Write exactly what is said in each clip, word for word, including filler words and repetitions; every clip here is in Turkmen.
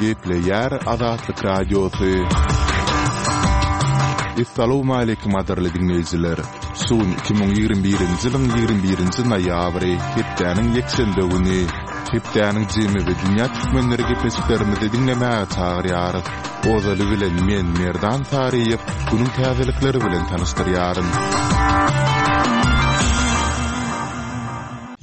Gepleýär Azatlyk Radiosy. Essalawmaleýkim gadyrly diňleýjiler! Şu gün iki müň ýigrimi birinji ýylyň ýigrimi birinji noýabry, hepdäniň ýekşenbe güni. Hepdäniň jemi we dünýä türkmenleri gepleşiklerimizi diňlemäge çagyrýarys. Ozaly bilen men Merdan Saryýew günüň täzelikleri bilen tanyşdyrýaryn.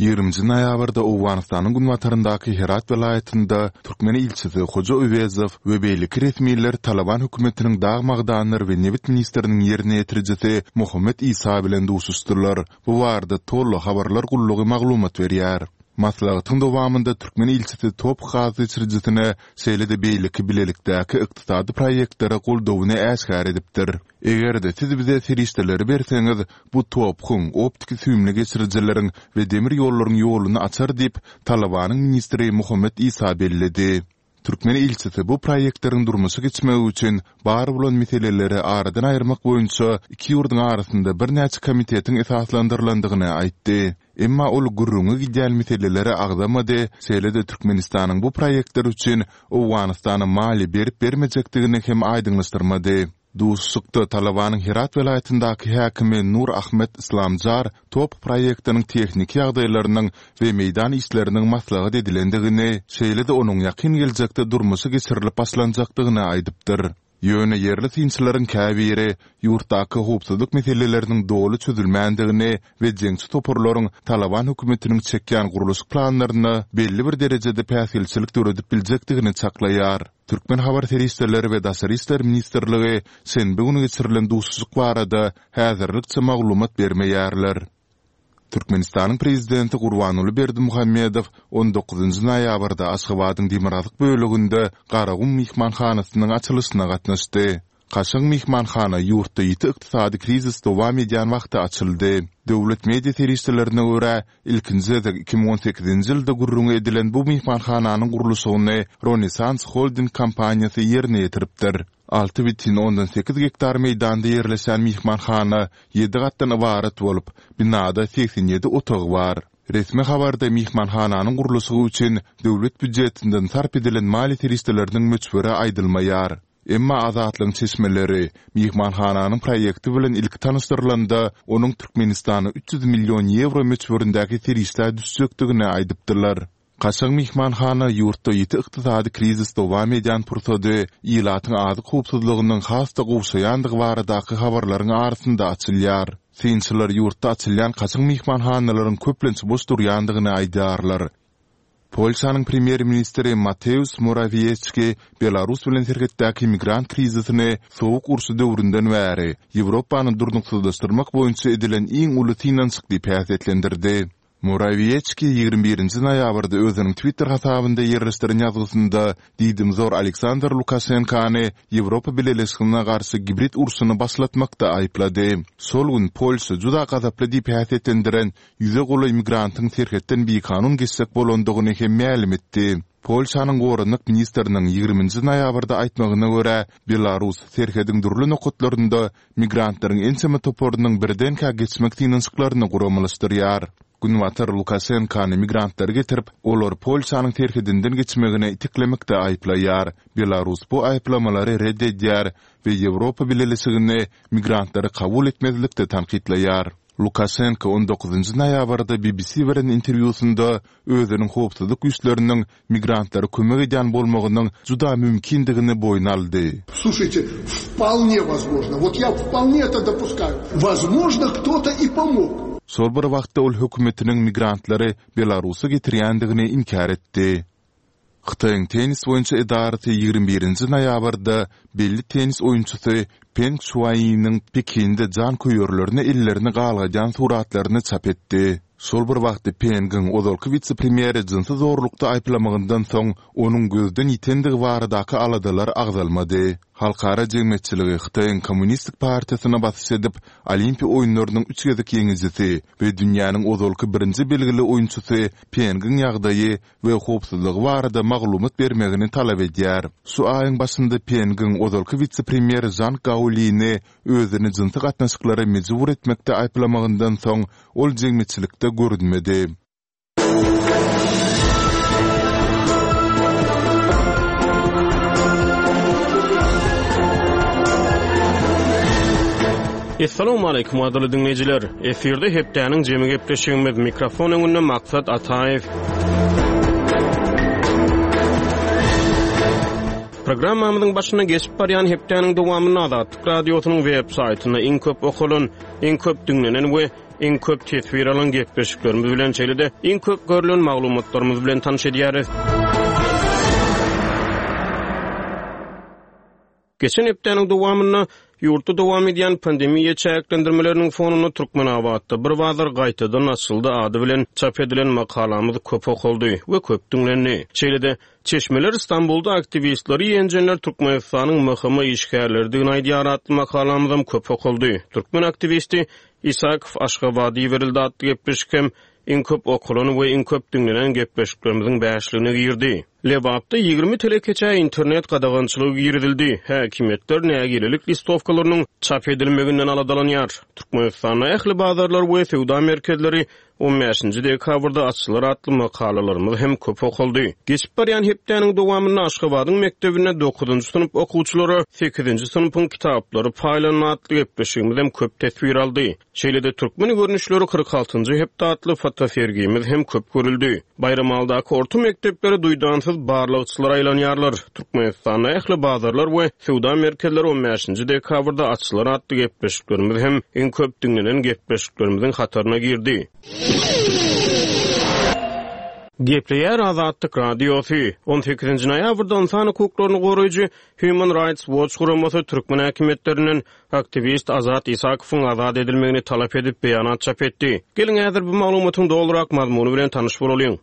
Ýigriminji noýabrda Owganystanyň günbataryndaky Herat welaýatynda türkmen ilçisi Hoja Öwezow we beýleki resmiler Talyban hökümetiniň dag magdanlary we nebit ministriniň ýerine ýetirijisi Mohammed Isa bilen duşuşdylar. Bu barada Tollo habarlar gullugy maglumat berýär. Maslahatyň dowamynda türkmen ilçisi TOPH gaz geçirijisine, şeýle-de beýleki bilelikdäki ykdysady proýektlere goldawyny äşgär edipdir. Eger-de siz bize serişdeleri berseňiz, bu TOPH-yň, optiki süýümli geçirijileriň we demir ýollaryň ýoluny açar diýip, Talybanyň ministri Mohammed Isa belledi. Türkmen ilçisi bu proýektleriň durmuşa geçmegi üçin bar bolan meseleleri aradan aýyrmak boýunça iki ýurduň arasynda birnäçe komitetiň esaslandyrylandygyny aýtdy. Emma ol gürrüňi gidýän meseleleri agzamady, şeýle-de Türkmenistanyň bu proýektler üçin Owganystana maliýe berip-bermejekdigini hem aýdyňlaşdyrmady. Duşuşykda Talybanyň Herat welaýatyndaky häkimi Nur Ahmed Islamjar TOPH proýektiniň tehniki ýagdaýlarynyň we meýdan işleriniň maslahat edilendigini, şeýle-de onuň ýakyn geljekde durmuşa geçirilip başlanjakdygyny aýdypdyr. Ýöne ýerli synçylaryň käbiri ýurtdaky howpsuzlyk meseleleriniň doly çözülmändigini we jeňçi toparlaryň Talyban hökümetiniň çekýän gurluşyk planlaryna belli bir derejede päsgelçilik döredip biljekdigini çaklaýar. Türkmen habar serişdeleri we Daşary işler ministrligi şenbe güni geçirilen duşuşyk barada häzirlikçe maglumat bermeýärler. Türkmenistanyň Prezidenti Gurbanguly Berdimuhamedow on dokuzynjy noýabrda Aşgabadyň demirgazyk böleginde Garagum myhmanhanasynyň açylyşyna gatnaşdy. Kaşaň myhmanhana ýurtda ýiti ykdysady krizis dowam edýän wagty açyldy. Döwlet media serişdelerine görä, ilkinji gezek iki müň on sekizinji ýylda gürrüňi edilen bu myhmanhananyň gurluşygyny Ronesans Holding kompaniýasy ýerine ýetiripdir. Alty bütin ondan sekiz gektar meýdanda ýerleşen myhmanhana ýedi gatdan ybarat bolup, binada segsen ýedi otag bar. Resmi habarda myhmanhananyň gurluşygy üçin döwlet býujetinden sarp edilen maliýe serişdeleriniň möçberi aýdylmaýar. Emma Azatlygyň çeşmeleri myhmanhananyň proýekti bilen ilki tanyşdyrylanda, onuň Türkmenistana üç ýüz million ýewro möçberindäki serişdä düşjekdigini aýdypdylar. Kaşaň myhmanhana ýurtda ýiti ykdysady krizis dowam edýän pursady ilatyň azyk howpsuzlygynyň has-da gowşaýandygy baradaky habarlaryň arasynda açylýar. Synçylar ýurtda açylýan kaşaň myhmanhanalaryň köplenç boş durýandygyny aýdýarlar. Polşanyň premýer-ministri Mateusz Morawiecki Belarus bilen serhetdäki migrant krizisini Sowuk urşy döwründen bäri Ýewropany durnuksyzlaşdyrmak boýunça edilen iň uly synanyşyk diýip häsiýetlendirdi. Morawiecki ýigrimi birinji noýabrda özüniň Twitter hasabynda ýerleşdiren ýazgysynda diýdimzor Aleksandr Lukaşenkany Ýewropa Bileleşigine garşy gibrid urşuny başlatmakda aýyplady. Şol gün Polşa juda gazaply diýip häsiýetlendiren ýüze golaý migrantyň serhetden bikanun geçjek bolandygyny hem mälim etdi. Polşanyň goranmak ministriniň ýigriminji noýabrda aýtmagyna görä, Belarus serhediň dürli nokatlarynda migrantlaryň ençeme toparynyň birdenkä geçmek synanyşyklaryny guramalaşdyrýar. Günbatar Lukaşenkany migrantlary getirip, olary Polşanyň serhedinden geçmegine iteklemekde aýyplaýar. Belarus bu aýyplamalary ret edýär we Ýewropa Bileleşigini migrantlary kabul etmezlikde tankytlaýar. Lukaşenko on dokuzynjy noýabrda B B C beren interwýusynda özüniň howpsuzlyk güýçleriniň migrantlara kömek edýän bolmagynyň juda mümkindigini boýun aldy. Слушайте, вполне возможно, вот я вполне это допускаю, возможно, кто-то и помог. Şol bir wagtda ol hökümetiniň migrantlary Belarusa getirýändigini inkär etdi. Hytaýyň tennis boýunça edarasy ýigrimi birinji noýabrda belli tennis oýunçysy Peng Şuaýiniň Pekinde janköýerlerine ellerini galgadýan suratlaryny çap etdi. Şol bir wagtda Pengiň ozalky wise-premýeri jynsy zorlukda aýyplamagyndan soň onuň gözden ýitendigi baradaky aladalar agzalmady. Halkara jemgyýetçiligi Hytaýyň Kommunistik partiýasyna basyş edip, Olimpiýa oýunlarynyň üç gezek ýeňijisi we dünýäniň ozalky birinji belgili oýunçysy Pengiň ýagdaýy we howpsuzlygy barada maglumat bermegini talap edýär. Şu aýyň başynda Pengiň ozalky wise-premýeri Žang Gaolini özüni jynsy gatnaşyklara mejbur etmekde aýyplamagyndan soň ol jemgyýetçilikde görünmedi. Essalamu aleýkum gadyrly diňleýjiler. Efirde hepdäniň jemi gepleşigimiz mikrofon öňünde Maksat Ataýew. Programmamyzyň başyna geçip barýan hepdäniň dowamynda Azatlyk Radiosynyň web saýtynda iň köp okalan, iň köp diňlenen we iň köp teswir alan gepleşiklerimiz bilen şeýle-de iň köp görülen maglumatlarymyz bilen tanyş edýäris. Geçen hepdäniň dowamynda ýurtda dowam edýän pandemiýa çäklendirmeleriniň fonunda Türkmenabatda bir bazar gaýtadan açyldy ady bilen çap edilen makalamyz köp okaldy we köp diňlendi. Şeýle-de çeşmeler İstanbulda aktiwistleri ýenjenler Türkmenistanyň M H M işgärleridigini aýdýar atly makalamyzam köp okaldy. Türkmen aktiwisti Isakow Aşgabady berildi atly gepleşik hem iň köp okalan we iň köp diňlenen gepleşiklerimiziň bäşligine girdi. Lebapda ýigrimi telekeçä internet gadagançylygy girizildi. Häkimiýetler nägilelik listowkalarynyň çap edilmeginden aladalanýar. Türkmenistanda ähli bazarlar we söwda merkezleri on bäşinji dekabrda açylar atly makalalarymyz hem köp okaldy. Geçip barýan hepdäniň dowamynda Aşgabadyň mekdebinde dokuzynjy synp okuwçylara sekizinji synpyň kitaplary paýlandy atly gepleşigimiz hem köp teswir aldy. Şeýle-de türkmen görnüşleri kyrk altynjy hepde atly fotosergimiz hem köp görüldi. Baýramaldaky orta mekdeplere duýdansyz barlagçylar aýlanýarlar. Türkmenistanda ähli bazarlar we söwda merkezleri on bäşinji dekabrda açylar atly gepleşiklerimiz hem iň köp diňlenen gepleşiklerimiziň hataryna girdi. Gepleýär Azatlyk Radiosy. on sekizinji noýabrda ynsan hukuklaryny goraýjy Human Rights Watch guramasy türkmen häkimiýetlerinden aktiwist Azat Isakowyň azat edilmegini talap edip beýanat çap etdi. Geliň häzir bu maglumatyň dolurak mazmuny bilen tanyş bolalyň.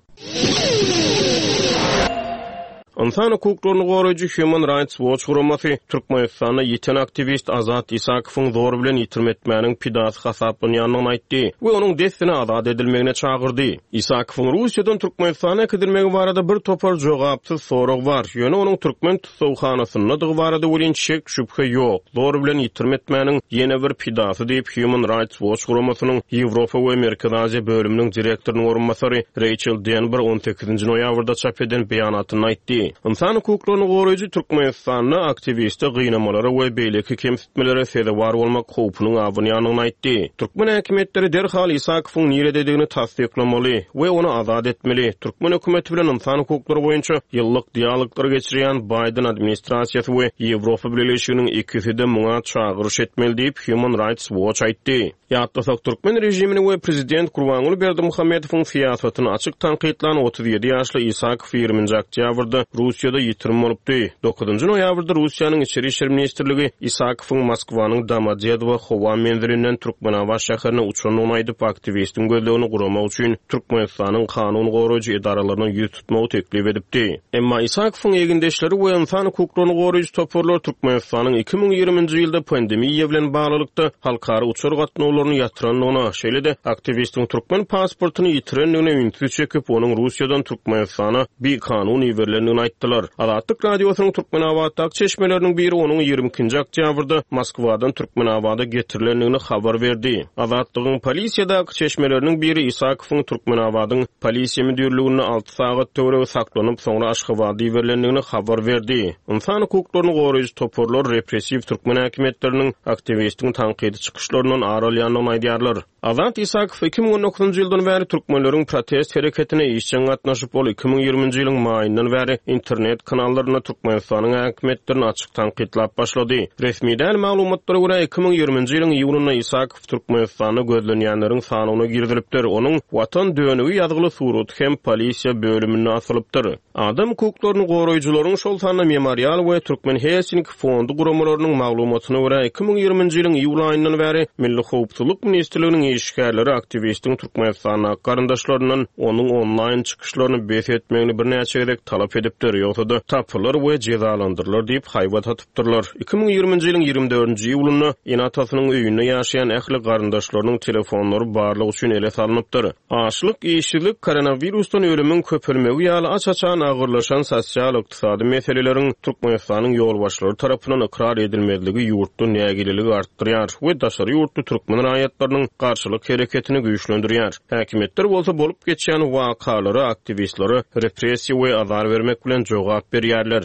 Ynsan hukuklaryny goraýjy Human Rights Watch guramasy Türkmenistanda ýiten aktiwist Azat Isakowyň zor bilen ýitirim etmäniň pidasy hasaplanýandygyny aýtdy we onuň dessine azat edilmegine çagyrdy. Isakowyň Russiýadan Türkmenistana äkidilmegi barada bir topar jogapsyz sorag bar. Ýöne onuň türkmen tussaghanasyndadygy barada welin şek şübhe ýok. Zor bilen ýitirim etmäniň ýene bir pidasy diýip Human Rights Watch guramasynyň Ýewropa we Merkezi Aziýa bölüminiň direktorynyň orunbasary Rachel Denber on sekizinji noýabrda çap eden beýanatynda aýtdy. Ynsan hukuklaryny goraýjy Türkmenistanda aktiwiste gynamalara we beýleki kemsitmelere sezewar bolmak howpunyň abynýandygyny aýtdy. Türkmen häkimiýetleri derhal Isakowyň nirededigini tassyklamaly we ony azat etmeli. Türkmen hökümeti bilen ynsan hukuklary boýunça ýyllyk dialoglar geçirýän Biden administrasiýasy we Ýewropa Bileleşiginiň ikisi-de muňa çagyryş etmeli diýip Human Rights Watch aýtdy. Ýatlasak türkmen režimini we prezident Gurbanguly Berdimuhamedowyň syýasatyny açyk tankytlan otuz ýedi ýaşly Isakow ýigriminji oktýabrda Russiýada ýitirim bolupdy. Dokuzynjy noýabrda Russiýanyň Içeri İşler Ministrligi Isakowyň Moskwanyň Domodedowo howa menzilinden Türkmenabat şäherine uçandygyny aýdyp, aktiwistiň gözlegini guramak üçin Türkmenistanyň kanun goraýjy edaralaryna ýüz tutmagy teklip edipdi. Emma Isakowyň egindeşleri we ynsan hukuklaryny goraýjy toparlar Türkmenistanyň iki müň ýigriminji ýylda pandemiýa bilen baglylykda halkara uçar gatnawlaryny ýatyrandygyna, şeýle-de aktiwistiň türkmen pasportyny ýitirendigine ünsi çekip, onuň Russiýadan Türkmenistana bikanun iberilendigini aýtdylar. Azatlyk Radiosynyň Türkmenabatdaky çeşmeleriniň biri onuň ýigrimi ikinji oktýabrda Moskwadan Türkmenabada getirilendigini habar berdi. Azatlygyň polisiýadaky çeşmeleriniň biri Isakowyň Türkmenabadyň polisiýa müdirliginde alty sagat töweregi saklanyp, soňra Aşgabada iberilendigini habar berdi. Ynsan hukuklaryny goraýjy toparlar repressiw türkmen häkimiýetleriniň aktiwistiň tankydy çykyşlaryndan ar alýandygyny aýdýarlar. Azat Isakow iki müň on dokuzynjy ýyldan bäri türkmenleriň protest hereketine işjeň gatnaşyp, ol iki müň ýigriminji ýylyň maýyndan bäri internet kanallarynda Türkmenistanyň häkimiýetlerini açyk tankytlap başlady. Resmi däl maglumatlara görä iki müň ýigriminji ýylyň iýunynda Isakow Türkmenistanda gözlenýänleriň sanyna girizilipdir. Onuň Watan dönügi ýazgyly suraty hem polisiýa bölüminde asylypdyr. Adam hukuklaryny goraýjylaryň şol sanda Memorial we Türkmen Helsinki fondy guramalarynyň maglumatyna görä iki müň ýigriminji ýylyň iýul aýyndan bäri Milli Howpsuzlyk Ministrliginiň işgärleri aktiwistiň Türkmenistandaky garyndaşlaryndan onuň onlaýn çykyşlaryny bes etmegini birnäçe gezek talap edipdir. Ýogsa-da tapylar we jezalandyrylar diýip haýbat atypdyrlar. Iki müň ýigriminji ýylyň ýigrimi dördünji iýulynda ene-atasynyň öýünde ýaşaýan ähli garyndaşlarynyň telefonlary barlyk üçin ele salnypdyr. Açlyk, işsizlik, koronawirusdan ölümiň köpelmegi ýaly aç-açan agyrlaşan sosial-ykdysady meseleleriň Türkmenistanyň ýolbaşçylary tarapyndan ykrar edilmezligi ýurtda nägileligi artdyrýar we daşary ýurtly türkmen raýatlarynyň garşylyk hereketini güýçlendirýär. Häkimiýetler bolsa bolup geçýän wakalara, aktiwistlere repressiýa we azar bermek bilen jogap berýärler.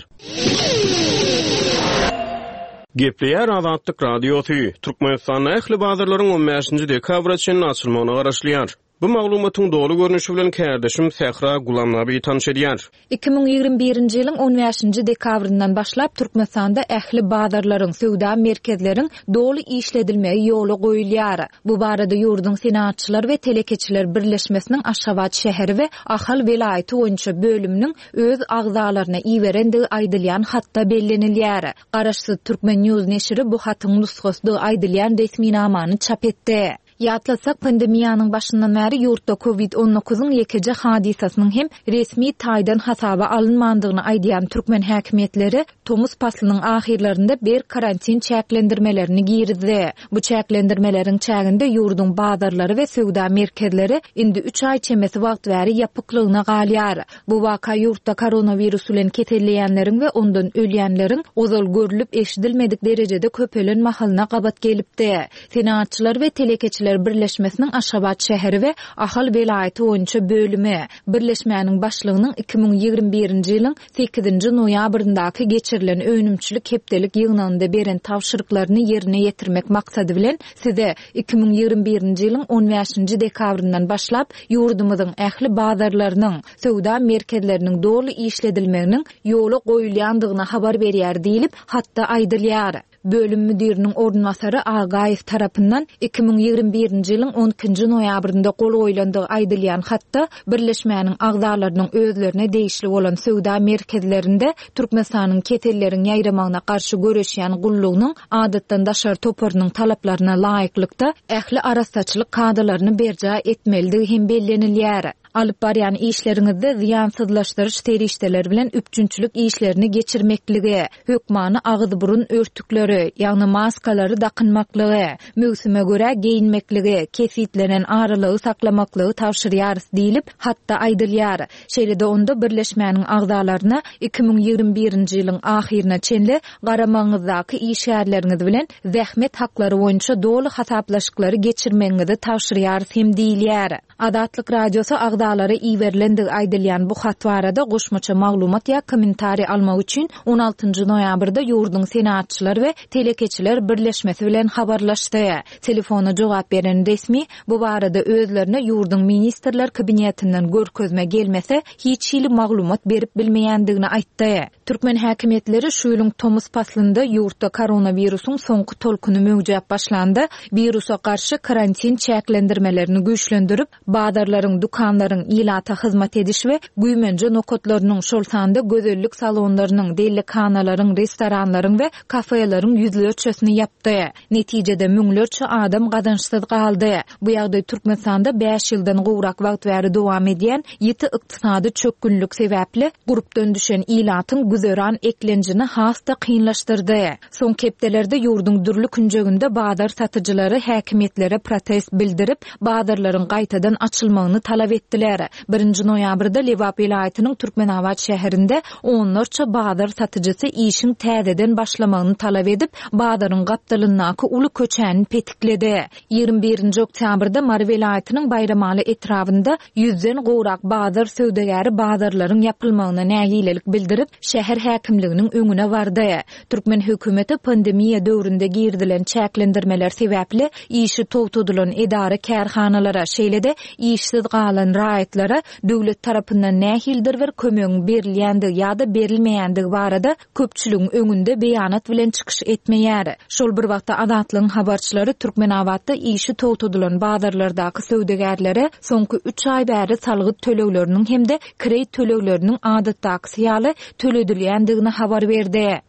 Gepleýär Azatlyk Radiosy, Türkmenistanda ähli bazarlaryň on bäşinji dekabra çenli açylmagyna garaşylýar. Bu maglumatyň doly görnüşi bilen kärdeşim Sähra Gulamnabi tanyş edýär. Iki müň ýigrimi birinji ýylyň on bäşinji dekabryndan başlap Türkmenistanda ähli bazarlaryň, söwda merkezleriň doly işledilmegi ýola goýulýar. Bu barada ýurduň Senagatçylar we telekeçiler birleşmesiniň Aşgabat şäheri we Ahal welaýaty boýunça bölüminiň öz agzalaryna iberendigi aýdylýan hatda bellenilýär. Garaşsyz Türkmen News neşiri bu hatyň nusgasydygy aýdylýan resminamany çap etdi. Ýatlasak, pandemiýanyň başyndan bäri ýurtda kovid on dokuzyň ýekeje hadysasynyň hem resmi taýdan hasaba alynmandygyny aýdýan türkmen häkimiýetleri tomus paslynyň ahyrlarynda bir karantin çäklendirmelerini girizdi. Bu çäklendirmeleriň çäginde ýurduň bazarlary we söwda merkezleri indi üç aý çemesi wagt bäri ýapyklygyna galýar. Bu waka ýurtda koronawirus bilen keselleýänleriň we ondan ölýänleriň ozal görülip eşidilmedik derejede köpelen mahalyna gabat gelipdi. Senagatçylar we telekeçiler Birleşmesiniň Aşgabat şäheri we Ahal welaýaty boýunça bölümi Birleşmäniň başlygynyň iki müň ýigrimi birinji ýylyň sekizinji noýabryndaky geçirilen önümçilik hepdelik ýygnagynda beren tabşyryklaryny ýerine ýetirmek maksady bilen size iki müň ýigrimi birinji ýylyň on bäşinji dekabryndan başlap ýurdumyzyň ähli bazarlarynyň, söwda merkezleriniň doly işledilmeginiň ýola goýulýandygyny habar berýär diýilip, hatda aýdylýar. Bölüm müdiriniň orunbasary Agaýew tarapyndan iki müň ýigrimi birinji ýylyň on ikinji noýabrynda gol goýlandygy aýdylýan hatda Birleşmäniň agzalarynyň özlerine degişli bolan söwda merkezlerinde Türkmenistanyň keselleriň ýaýramagyna garşy göreşýän gullugynyň adatdan daşary toparynyň talaplaryna laýyklykda ähli arassaçylyk kadalaryny berjaý etmelidigi hem bellenilýär. Alyp barýan işleriňizde zyýansyzlaşdyryş serişdeleri bilen üpjünçilik işlerini geçirmeklige, hökmany agyz-burun örtükleri, ýagny maskalary dakynmaklygy, möwsüme görä geýinmekligi, kesitlenen aralygy saklamaklygy tabşyrýarys diýilip, hatda aýdylýar. Şeýle-de onda Birleşmäniň agzalaryna iki müň ýigrimi birinji ýylyň ahyryna çenli garamagyňyzdaky işgärleriňiz bilen zähmet haklary boýunça doly hasaplaşyklary geçirmegiňizi tabşyrýarys hem diýilýär. Azatlyk Radiosy agzalara iberilendigi aýdylýan bu hat barada goşmaça maglumat ýa kommentariý almak üçin on altynjy noýabrda ýurduň Senagatçylar we telekeçiler birleşmesi bilen habarlaşdy. Telefona jogap beren resmi bu barada özlerine ýurduň ministrler kabinetinden görkezme gelmese hiç hili maglumat berip bilmeýändigini aýtdy. Türkmen häkimiýetleri şu ýylyň tomus paslynda ýurtda koronawirusyň soňky tolkuny möwjäp başlanda wirusa garşy karantin çäklendirmelerini güýçlendirip, bazarlaryň, dükanlaryň, ilata hyzmat ediş we güýmenje nokatlarynyň, şol sanda gözellik salonlarynyň, dellikhanalaryň, restoranlaryň we kafeleriň ýüzlerçesini ýapdy. Netijede müňlerçe adam gazançsyz galdy. Bu ýagdaý Türkmenistanda bäş ýyldan gowrak wagt bäri dowam edýän ýiti ykdysady çökgünlik sebäpli gurpdan düşen ilatyň güzeran eklenjini has-da kynlaşdyrdy. Soňky hepdelerde ýurduň dürli künjeginde bazar satyjylary häkimiýetlere protest bildirip, bazarlaryň gaýtadan açylmagyny talap etdiler. Birinji noýabrda Lebap welaýatynyň Türkmenabat şäherinde onlarça bazar satyjysy işiň täzeden başlamagyny talap edip, bazaryň gapdalyndaky uly köçäni petikledi. Ýigrimi birinji oktýabrda Mary welaýatynyň Baýramaly etrabynda ýüzden gowrak bazar söwdagäri bazarlaryň ýapylmagyna nägilelik bildirip, şäher häkimliginiň öňüne bardy. Türkmen hökümeti pandemiýa döwründe girizilen çäklendirmeler sebäpli işi togtadylan edara kärhanalara, şeýle-de işsiz galan raýatlara döwlet tarapyndan nähilidir bir kömegiň berilýändigi ýa-da berilmeýändigi barada köpçüligiň öňünde beýanat bilen çykyş etmeýär. Şol bir wagtda Azatlygyň habarçylary Türkmenabatda işi togtadylan bazarlardaky söwdagärlere soňky üç aý bäri salgyt tölegleriniň hem-de kireý tölegleriniň adatdakysy ýaly töledilýändigini habar berdi.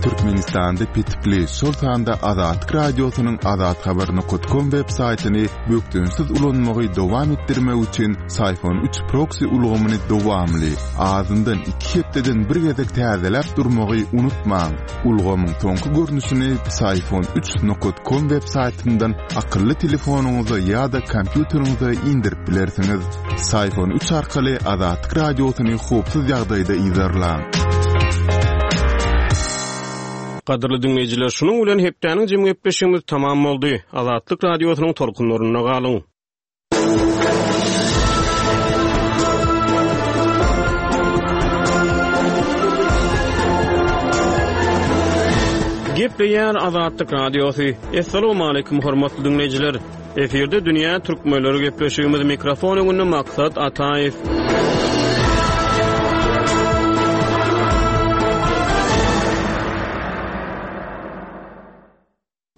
Türkmenistanda petikli, şol sanda Azatlyk Radiosynyň azathabar nokta com web saýtyny bökdençsiz ulanmagy dowam etdirmek üçin Syfon üç proxy ulgamyny dowamly, azyndan iki hepdeden bir gezek täzeläp durmagy unutmaň. Ulgamyň soňky görnüşini Syfon üç nokta com web saýtyndan akylly telefonyňyza ýa-da kompýuteriňize indirip bilersiňiz. Syfon üç arkaly Azatlyk Radiosyny howpsuz ýagdaýda yzarlaň. Gadyrly dinleýjiler, şunuň bilen hepdäniň jemgyýetleşigimiz tamam boldy. Azatlyk Radiosynyň tolkunlarynda galyň. Gepleýär Azatlyk Radiosy. Assalamu hormatly dinleýjiler. Efirde Dünýä Türkmenleri gepleşigimiz mikrofon öňünde Maksat Ataýew.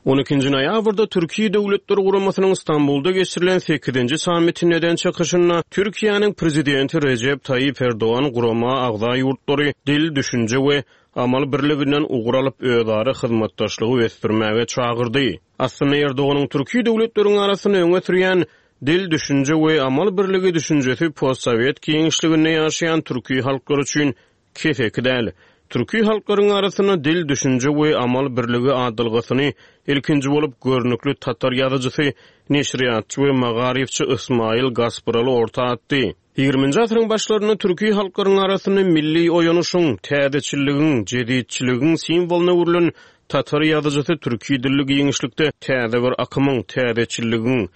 On ikinji noýabrda Türkiýe Döwletler Guramasynyň Stambulda geçirilen sekizinji sammitinde eden çykyşynda Türkiýäniň prezidenti Rejep Taýyp Erdogan gurama agza ýurtlary dil, düşünje we amal birliginden ugur alyp özara hyzmatdaşlygy ösdürmäge çagyrdy. Aslynda Erdoganyň Türkiýe döwletleriň arasynda öňe sürýän dil, düşünje we amal birligi düşünjesi postsowet giňişliginde ýaşaýan türki halklar üçin keseki däl. Türki halklaryň arasynda dil, düşünje we amal birligi adalgasyny ilkinji bolup görnükli tatar ýazyjysy, neşirýatçy we magaryfçy Ismail Gaspyraly orta atdy. Ýigriminji asyryň başlarynda türki halklaryň arasynda milli oýanyşyň, täzeçilligiň, jeditçiligiň simwolyna öwrülen tatar ýazyjysy türki dilli giňişlikde täze bir akymyň, täzeçilligiň,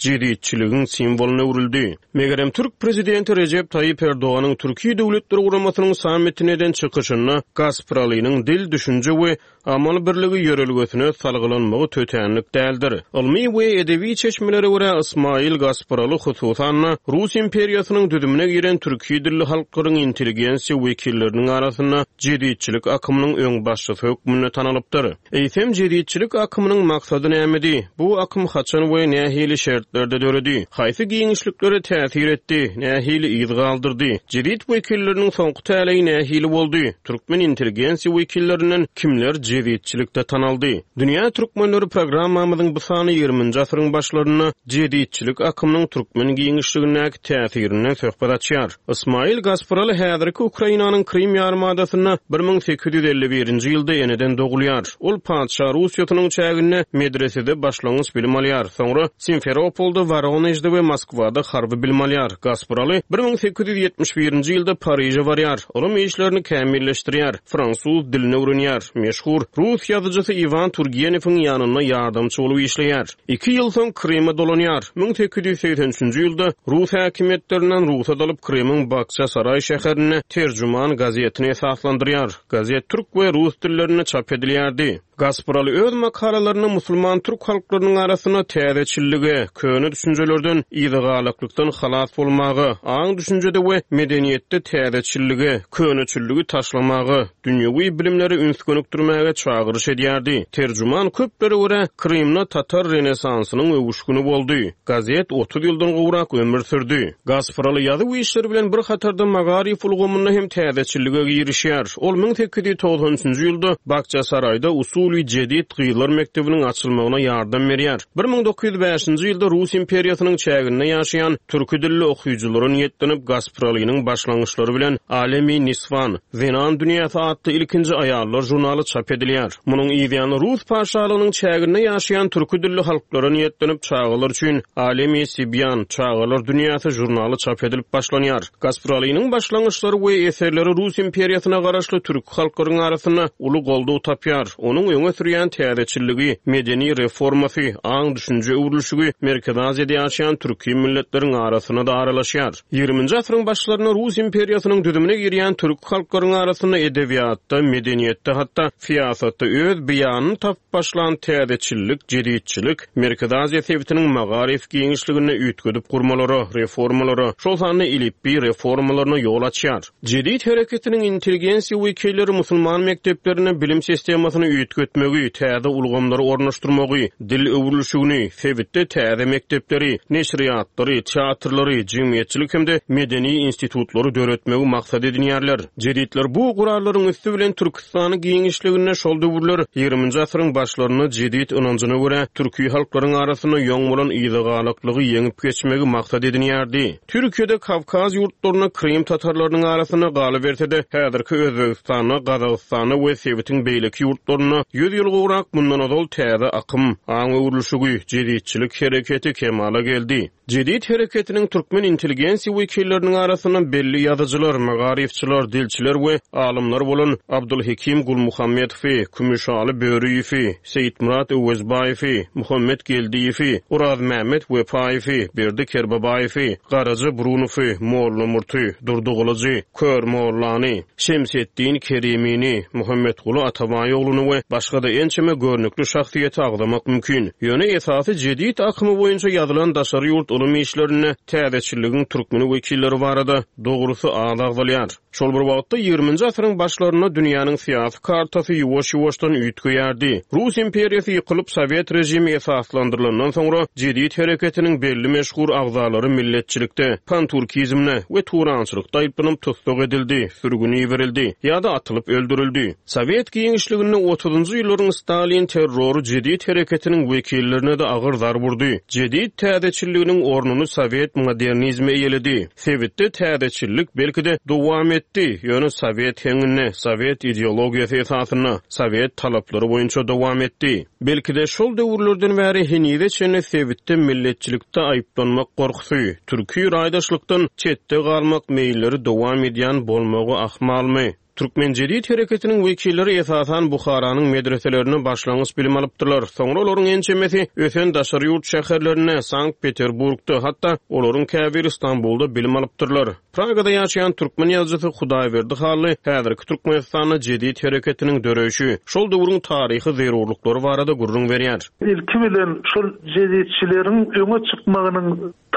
jeditçiligiň simwolyna öwrüldi. Megerem Türk prezidenti Rejep Taýyp Erdoganyň Türkiýe Döwletler Guramasynyň sammitine eden çykyşynda Gaspyralynyň dil, düşünje we amal birligi ýörelgesine salgylanmagy tötänlik däldir. Ylmy we edebi çeşmelere görä Ismail Gaspyraly hususan Rus imperiýasynyň düzümine giren türki dilli halklaryň intelligensiýa wekilleriniň arasynda jeditçilik akymynyň öňbaşçysy hökmünde tanalypdyr. Eýsem jeditçilik akymynyň maksady nämedi? Bu akym haçan we nähili şertlerde döredi? Haýsy giňişliklere täsir etdi? Nähili yz galdyrdy? Jedit wekilleriniň soňky täleýi nähili boldy? Türkmen intelligensiýa wekillerinden kimler jeditçilikde tanaldy? Dünýä Türkmenleri programmamyzyň bu sany ýigriminji asyryň başlarynda jeditçilik akymynyň türkmen giňişligindäki täsirinden söhbet açýar. Ismail Gaspyraly häzirki Ukrainanyň Krim ýarymadasynda bir müň sekiz ýüz elli birinji ýylda eneden dogulýar. Ol Patyşa Russiýasynyň çäginde medresede başlangyç bilim alýar. Soňra Simferopolda, Voronejde we Moskwada harby bilim alýar. Gaspyraly bir müň sekiz ýüz ýetmiş birinji ýylda Pariže barýar. Ylym işlerini kämilleşdirýär. Fransuz dilini öwrenýär. Meşhur Rus ýazyjysy Iwan Turgenewiň ýanynda ýardamçy bolup işleýär. Iki ýyl soň Krime dolanýar. Müň sekiz ýüz segsen üçünji ýylda Rus häkimiýetlerinden rugsat alyp Krimiň Bakçasaray şäherinde Terjüman gazetini esaslandyrýar. Gazet türk we rus dillerinde çap edilýärdi. Gaspyraly öz makalalarynda musulman türk halklarynyň arasynda täzeçillige, köne düşünjelerden yzagalaklykdan halas bolmaga, aň düşünjede we medeniýetde täzeçillige, köneçilligi taşlamaga, dünýewi bilimlere üns gönükdirmäge çagyryş edýärdi. Terjüman köplere görä Krymda Tatar Renesansynyň öwüşgüni boldy. Gazet otuz ýyldan gowrak ömür sürdü. Gaspyraly ýazuw işleri bilen bir hatarda magaryf ulgamynda hem täzeçillige girişýär. Ol müň sekiz ýüz togsan üçünji ýylda Bakçasaraýda usul Jedid gyzlar mekdebiniň açylmagyna ýardam berýär. Bir müň dokuz ýüz bäşinji ýylda Rus imperiýasynyň çäginde ýaşaýan türki dilli okyjylara niýetlenip Gaspyralynyň başlangyçlary bilen Alemi Niswan, Zenan dünýäsi atly ilkinji aýallar žurnaly çap edilýär. Munuň ýany Rus paşalygynyň çäginde ýaşaýan türki dilli halklara niýetlenip çagalar üçin Alemi Sibýan, Çagalar dünýäsi žurnaly çap edilip başlanýar. Gaspyralynyň başlangyçlary we eserleri Rus imperiýasyna garaşly türki halklaryň arasynda uly goldaw tapýar. Onuň öňe sürýän täzeçilligi, medeni reformasy, aň düşünje öwrülişigi Merkezi Aziýada ýaşaýan türki milletleriň arasynda da aralaşýar. Ýigriminji asyryň başlarynda Rus imperiýasynyň düzümine girýän türk halklaryň arasynda edebiýatda, medeniýetde, hatda syýasatda öz beýanyny tapyp başlan täzeçillik, jeditçilik Merkezi Aziýa sebitiniň magaryf giňişliginde üýtgedip gurmalara, reformalara, şol sanda elipbiý reformalaryna ýol açýar. Jedit hereketiniň intelligensiýa wekilleri musulman mekdeplerinde bilim sistemasyny üýtgetmegi, täze ulgamlary ornaşdyrmagy, dil öwrülişigini, sebitde täze mekdepleri, neşirýatlary, teatrlary, jemgyýetçilik hem-de medeni institutlary döretmegi maksat edinýärler. Jeditler bu gurarlaryň üsti bilen Türkistany giňişliginde şol döwürler ýigriminji asyryň başlarynda jedit ynanjyna görä türki halklaryň arasynda ýoň bolan yzagalaklygy ýeňip geçmegi maksat edinýärdi. Türkiýede Kawkaz ýurtlaryna Krim tatarlarynyň arasynda galyberse-de häzirki Özbegistanda, Gazagystanda we sebitiň beýleki ýurtlarynda ýüz ýyl gowrak mundan ozal täze akym, aň öwrülişigi, jeditçilik hereketi kemala geldi. Jedit hereketiniň türkmen intelligensiýa wekilleriniň arasynda belli ýazyjylar, magaryfçylar, dilçiler we alymlar bolan Abdulhekim Gulmuhammedowy, Kümüşaly Börüýewi, Seýitmyrat Öwezbaýewi, Muhammet Geldiýewi, Urazmämmet Wepaýewi, Berdi Kerbabaýewi, Garaja Brunowy, Molla Murty, Durdy Gylyjy, Kör Mollany, Şemsetdin Kerimini, Muhammetguly Atabaýogluny we başga-da ençeme görnükli şahsyýeti agzamak mümkin. Ýöne esasy jedit akymy boýunça ýazylan daşary ýurt ylym işlerinde täzeçilligiň türkmen wekilleri barada dogrusy az agzalýar. Şol bir wagtda ýigriminji asyryň başlarynda dünýäniň syýasy kartasy ýuwaş-ýuwaşdan üýtgeýärdi. Rus imperiýasy ýykylyp, sowet režimi esaslandyrylandan soňra jedit hereketiniň belli meşhur agzalary milletçilikde, panturkizmde we turançylykda aýyplanyp tussag edildi, sürgün iberildi ýa-da atylyp öldürildi. Sowet giňişliginde otuzynjy ýyllaryň Stalin terrory jedit hereketiniň wekillerine-de agyr zarb urdy. Jedit täzeçilliginiň ornuny sowet modernizmi eýeledi. Sebitde täzeçillik belki-de dowam etdi, ýöne sowet heňinde, sowet ideologiýasy esasynda, sowet talaplary boýunça dowam etdi. Belki-de şol döwürlerden bäri henize çenli sebitde milletçilikde aýyplanmak gorkusy, türki raýdaşlykdan çetde galmak meýilleri dowam edýän bolmagy ahmalmy? Türkmen jedit hereketiniň wekilleri esasan Buharanyň medreselerinde başlangyç bilim alypdyrlar. Soňra olaryň ençemesi ösen daşary ýurt şäherlerinde, Sankt-Peterburgda, hatda olaryň käbiri Stambulda bilim alypdyrlar. Pragada ýaşaýan türkmen ýazyjysy Hudaýberdi Hally häzirki Türkmenistanda jedit hereketiniň döreýşi, şol döwrüň taryhy zerurlyklary barada gürrüň berýär. Ilki bilen şol jeditçileriň öňe çykmagynyň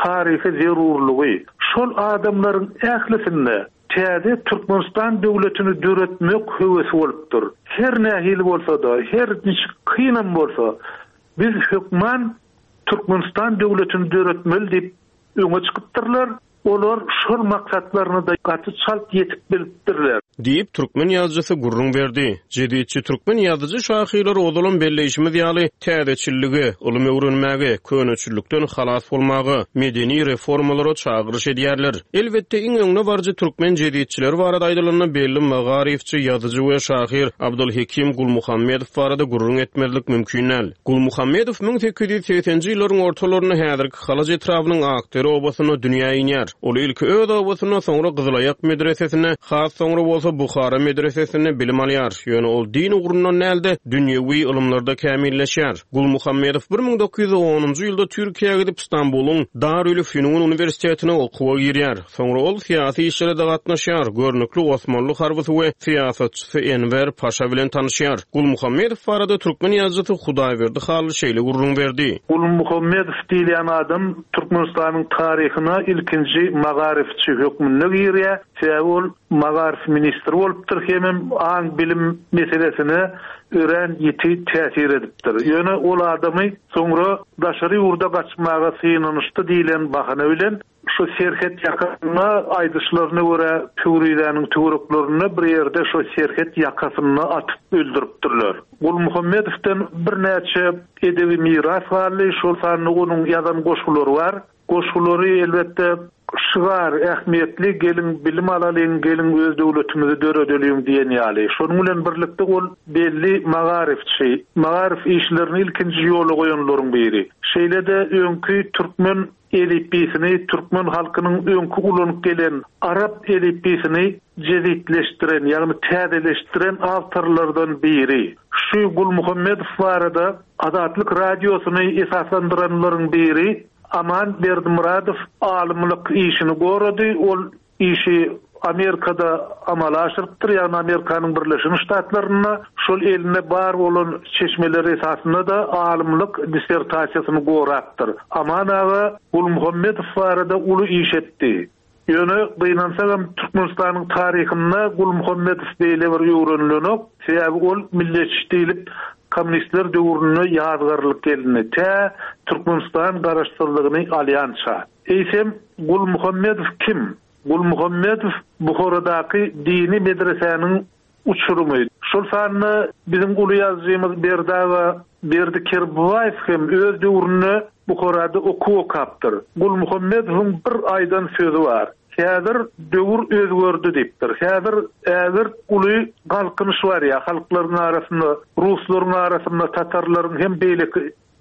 taryhy zerurlygy, şol adamlaryň ählisinde täze Türkmenistan döwletini döretmek höwesi bolupdyr. Her nähili bolsa-da, her niçik kynam bolsa, biz hökman Türkmenistan döwletini döretmeli diýip öňe çykypdyrlar. Olar şol maksatlaryna-da gaty çalt ýetip bilipdirler. Diýip, türkmen ýazyjysy gürrüň berdi. Jeditçi türkmen ýazyjy-şahyrlary ozalam belleýşimiz ýaly täzeçillige, ylym öwrenmäge, köneçillikden halas bolmaga, medeni reformalara çagyryş edýärler. Elbetde, iň öňde baryjy türkmen jeditçileri barada aýdylanda belli magaryfçy, ýazyjy we şahyr Abdulhekim Gulmuhammedow barada gürrüň etmezlik mümkin däl. Gulmuhammedow müň sekiz ýüz segsenji ýyllaryň ortalarynda häzirki Halaç etrabynyň Akdere obasynda dünýä inýär. Ol ilki öz obasynda, soňra Gyzylaýak medresesinde, has soňra bolsa Buhara medresesinde bilim alýar. Ýöne ol din ugrundan däl-de, dünýewi ylymlarda kämilleşýär. Gulmuhammedow bir müň dokuz ýüz onunjy ýylda Türkiýä gidip Stambulyň Darülfünun uniwersitetine okuwa girýär. Soňra ol syýasy işlere-de gatnaşýar, görnükli Osmanly harbysy we syýasatçysy Enwer Paşa bilen tanyşýar. Gulmuhammedow barada türkmen ýazyjysy Hudaýberdi Hally şeýle gürrüň berdi. Gulmuhammedow diýilýän adam Türkmenistanyň taryhyna ilkinji magaryfçy hökmünde girýär. Sebäbi ol magaryf ministri bolupdyr, hemem aň bilim meselesine örän ýiti täsir edipdir. Ýöne ol adamy soňra daşary ýurda gaçmaga synanyşdy diýlen bahana bilen şu serhet ýakasynda aýdyşlaryna görä Pöwrizäniň töwereklerinde bir ýerde şu serhet ýakasynda atyp öldüripdirler. Gulmuhammedowdan birnäçe edebi miras galdy, şol sanda onuň ýazan goşgulary bar. Goşgulary elbetde şygar ähmiýetli, gelin bilim alalyň, gelin öz döwletimizi döredeliň diýen ýaly. Şonuň bilen birlikde ol belli magaryfçy, magaryf işlerini ilkinji ýola goýanlaryň biri. Şeýle-de öňki türkmen elipbiýsini, türkmen halkynyň öňki ulanyp gelen arap elipbiýsini jezitleşdiren, ýagny täzeleşdiren awtorlardan biri. Şu Gulmuhammedow barada Azatlyk radiosyny esaslandyranlaryň biri Aman Berdimuradow alymlyk işini gorady. Ol işi Amerikada amala aşyrypdyr, ýagny Amerikanyň Birleşen Ştatlarynda şol elinde bar bolan çeşmeler esasynda da alymlyk dissertasiýasyny gorapdyr. Aman aga Gulmuhammedow barada uly iş etdi. Ýöne gynansagam Türkmenistanyň taryhynda Gulmuhammedow beýle bir öwrenilenok, sebäbi ol milletçi diýlip komünistler döwründe ýazgarlyk gelindi. Tä Türkmenistan garaşsyzlygyny alýança. Eýsem Gulmuhammedow kim? Gulmuhammedow Buharadaky dini medresäniň uçurumy. Şol sanda biziň uly ýazyjymyz Berdi aga Berdi Kerbabaýew hem öz döwründe Buharada okuw okapdyr. Gulmuhammedowyň bir aýdan sözi bar. Häzir döwür özgerdi diýipdir. Häzir ägirt uly galkynyş bar ýa halklaryň arasynda, ruslaryň arasynda, tatarlaryň hem beýleki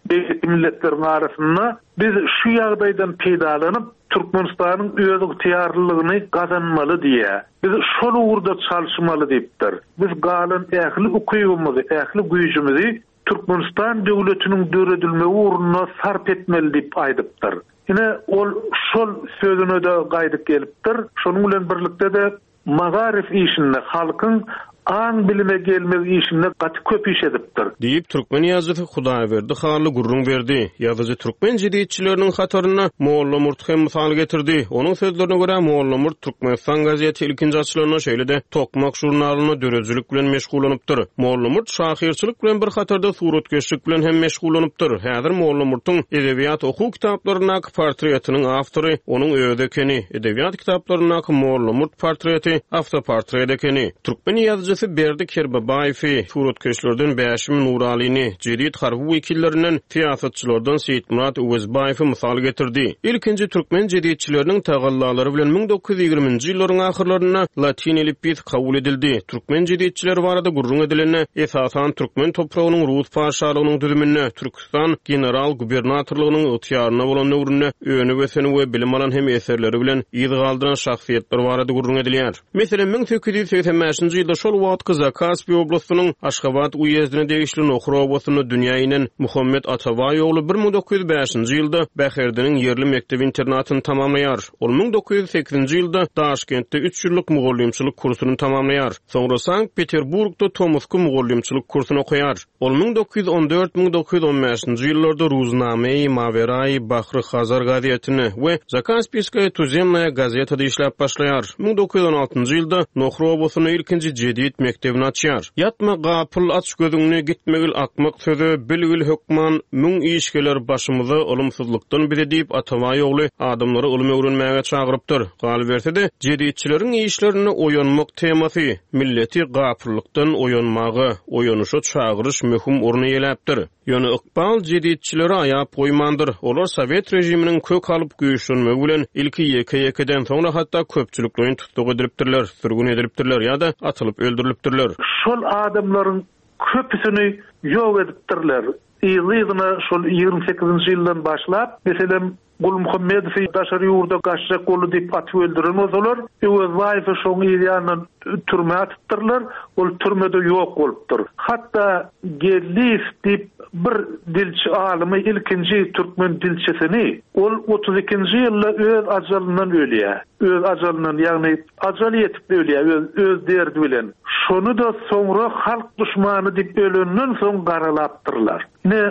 beýleki milletleriň arasynda biz şu ýagdaýdan peýdalanyp Türkmenistanyň öz ygtyýarlylygyny gazanmaly diýe. Biz şol ugurda çalyşmaly diýipdir. Biz galan ähli ukybymyzy, ähli güýjümizi Türkmenistan döwletiniň döredilmegi ugrunda sarp etmeli diýip aýdypdyr. Ine ol şol sözüne de gaýdyp gelipdir. Şonuň bilen birlikde de magaryf işinde halkyň Aň-bilime gelmek işinde gaty köp iş edipdir. Diýip, türkmen ýazyjysy Hudaýberdi Hally gürrüň berdi. Ýazyjy türkmen jeditçileriniň hatarynda Mollamurty hem mysal getirdi. Onuň sözlerine görä, Mollamurt Türkmenistan gazeti ilkinji açylanda, şeýle-de Tokmak žurnalynda döredijilik bilen meşgullanypdyr. Mollamurt şahyrçylyk bilen bir hatarda suratkeşlik bilen hem meşgullanypdyr. Häzir Mollamurtyň edebiýat okuw kitaplaryndaky portretiniň awtory onuň özi ekeni. Edebiýat kitaplaryndaky Mollamurt portreti awtoportret ekeni. Türkmen ýazyjysy Berdi Kerbabaýewi, suratkeşlerden Bäşim Nuralyny, jedit harby wekillerinden, syýasatçylardan Seýitmyrat Öwezbaýewi mysal getirdi. Ilkinji türkmen jeditçileriniň tagallalary bilen müň dokuz ýüz ýigriminji ýyllaryň ahyrlarynda latyn elipbiýsi kabul edildi. Türkmen jeditçileri barada gürrüň edilende, esasan türkmen topragynyň Rus patyşalygynyň düzüminde, Türküstan general-gubernatorlygynyň ygtyýarynda bolan döwründe önüp-ösen we bilim alan hem eserleri bilen yz galdyran şahsyýetler barada gürrüň edilýär. Meselem, müň sekiz ýüz segsen bäşinji ýylda şol wagtky Zakaspi oblastynyň Aşgabat uýezdine degişli Nohur obasynda dünýä inen Muhammet Atabaý ogly bir müň dokuz ýüz bäşinji ýylda Bäherdeniň ýerli mekdep-internatyny tamamlaýar. Ol müň dokuz ýüz sekizinji ýylda Daşkentde üç ýyllyk mugallymçylyk kursuny tamamlaýar. Soňra Sankt-Peterburgda tomusky mugallymçylyk kursuny okaýar. Ol müň dokuz ýüz on dört müň dokuz ýüz on bäşinji ýyllarda Ruznamei Mawerai Bahry Hazar gazetinde we Zakaspiýskaýa tuzemnaýa gazetada işläp başlaýar. Müň dokuz ýüz on altynjy ýylda Nohur obasynda ilkinji jedit mekdebini açýar. Ýatma gapyl, aç gözüňni, gitmegil akmak söze, bilgil hökman, müň iş geler başymyza ylymsyzlykdan bize diýip Atabaý ogly adamlary ylym öwrenmäge çagyrypdyr. Galyberse-de, jeditçileriň işlerinde oýanmak temasy, milleti gapyllykdan oýanmaga, oýanyşa çagyryş möhüm orun eýeläpdir. Ýöne ykbal jeditçileri aýap goýmandyr. Olar Sowet režiminiň kök alyp güýçlenmegi bilen ilki ýeke-ýekeden, soňra hatda köpçülikleýin tussag edilipdirler, sürgün edilipdirler ýa-da atylyp öldürilipdirler. Şol adamlaryň köpüsini ýok edipdirler. Yzly-yzyna şol ýigrimi sekizinji ýyldan başlap, meselem, Gulmuhammedowy daşary ýurda gaçjak boldy diýip atyp öldüren bolsalar, Öwezbaýewi şoň yz ýanyndan türmä atypdyrlar, ol türmede ýok bolupdyr. Hatda Geldiýew diýip bir dilçi alymy, ilkinji türkmen dilçisini, ol otuz ikinji ýylda öz ajalyndan ölýär. Öz ajalyndan, ýagny ajal ýetip ölýär, öz, öz derdi bilen. Şony da soňra halk düşmany diýip ölenden soň garalapdyrlar. Ne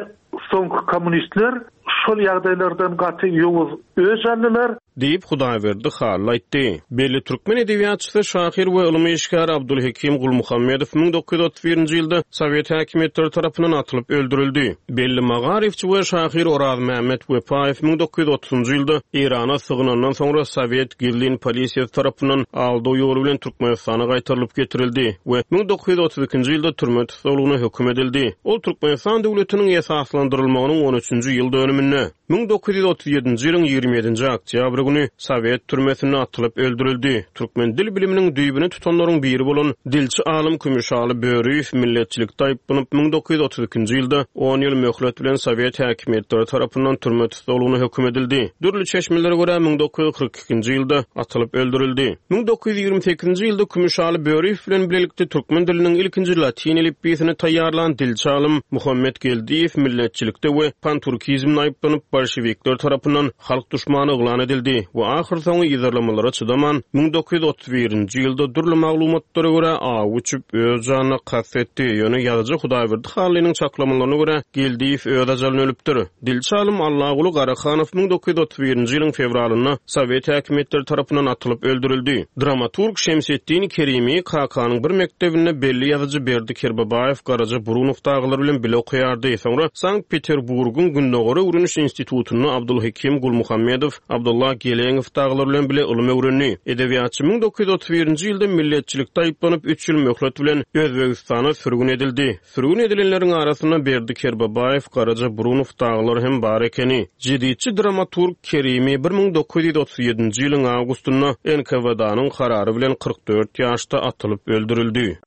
soňky kommunistler şol ýagdaýlardan gaty ýowuz öç aldylar. Diýip Hudaýberdi Hally aýtdy. Belli türkmen edebiýatçysy, şahyr we ylmy işgäri Abdulhekim Gulmuhammedow müň dokuz ýüz otuz birinji ýylda Sowet häkimiýetleri tarapyndan atylyp öldürildi. Belli magaryfçy we şahyr Orazmämmet Wepaýew müň dokuz ýüz otuzynjy ýylda Eýrana sygynandan soňra Sowet gizlin polisiýasy tarapyndan aldaw ýoly bilen Türkmenistana gaýtarylyp getirildi we müň dokuz ýüz otuz ikinji ýylda türme tussaglygyna höküm edildi. Ol Türkmenistan döwletiniň esaslandyrylmagynyň on üçünji ýyl dönüminde müň dokuz ýüz otuz ýedinji ýylyň ýigrimi ýedinji oktýabr güni Sowet türmesinde atylyp öldürildi. Türkmen dil biliminiň düýbüni tutanlaryň biri bolan dilçi alym Kümüşaly Börüýew milletçilikde aýyplanyp müň dokuz ýüz otuz ikinji ýylda on ýyl möhlet bilen Sowet häkimiýetleri tarapyndan türme tussaglygyna höküm edildi. Dürli çeşmelere görä müň dokuz ýüz kyrk ikinji ýylda atylyp öldürildi. Müň dokuz ýüz ýigrimi sekizinji ýylda Kümüşaly Börüýew bilen birlikde türkmen diliniň ilkinji latyn elipbiýsini taýýarlan dilçi alym Muhammet Geldiýew milletçilikde we panturkizmde aýyplanyp bolşevikler tarapyndan halk düşmany yglan edildi we ahyrsoňy yzarlamalara çydaman müň dokuz ýüz otuz birinji ýylda dürli maglumatlara görä aw uçup öz janyna kast etdi. Ýöne ýazyjy Hudaýberdi Hallynyň çaklamalaryna görä Geldiýew öz ajalyny ölüpdir. Dilçi alym Allaguly Garahanow müň dokuz ýüz otuz birinji ýylyň fewralynda Sowet häkimiýetleri tarapyndan atylyp öldürildi. Dramaturg Şemsetdin Kerimi Kakanyň bir mekdebinde belli ýazyjy Berdi Kerbabaýew Garaja Burunow daglar bilen bile okaýardy. Soňra Sankt-Peterburgyň Gündogar öwreniş institutynda Abdulhekim Gulmuhammedow, Abdullah Geleňow daglar bilen bile ylym öwrendi. Edebiýatçy müň dokuz ýüz otuz birinji ýylda milletçilikde aýyplanyp üç ýyl möhlet bilen Özbegistana sürgün edildi. Sürgün edilenleriň arasynda Berdi Kerbabaýew, Garaja Burunow daglar hem bar ekeni. Jeditçi dramaturg Kerimi bir müň dokuz ýüz otuz ýedinji ýylyň awgustynda N K V D-nyň karary bilen kyrk dört ýaşda atylyp öldürildi.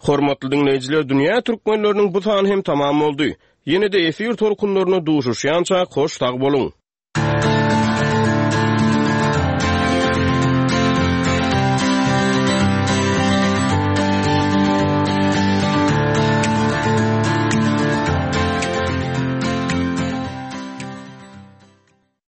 Hormatly dinleýjiler, dünýä türkmenleriniň bu sany hem tamam boldy. Ýene-de efir tolkunlaryna duşuşýança hoş sag boluň.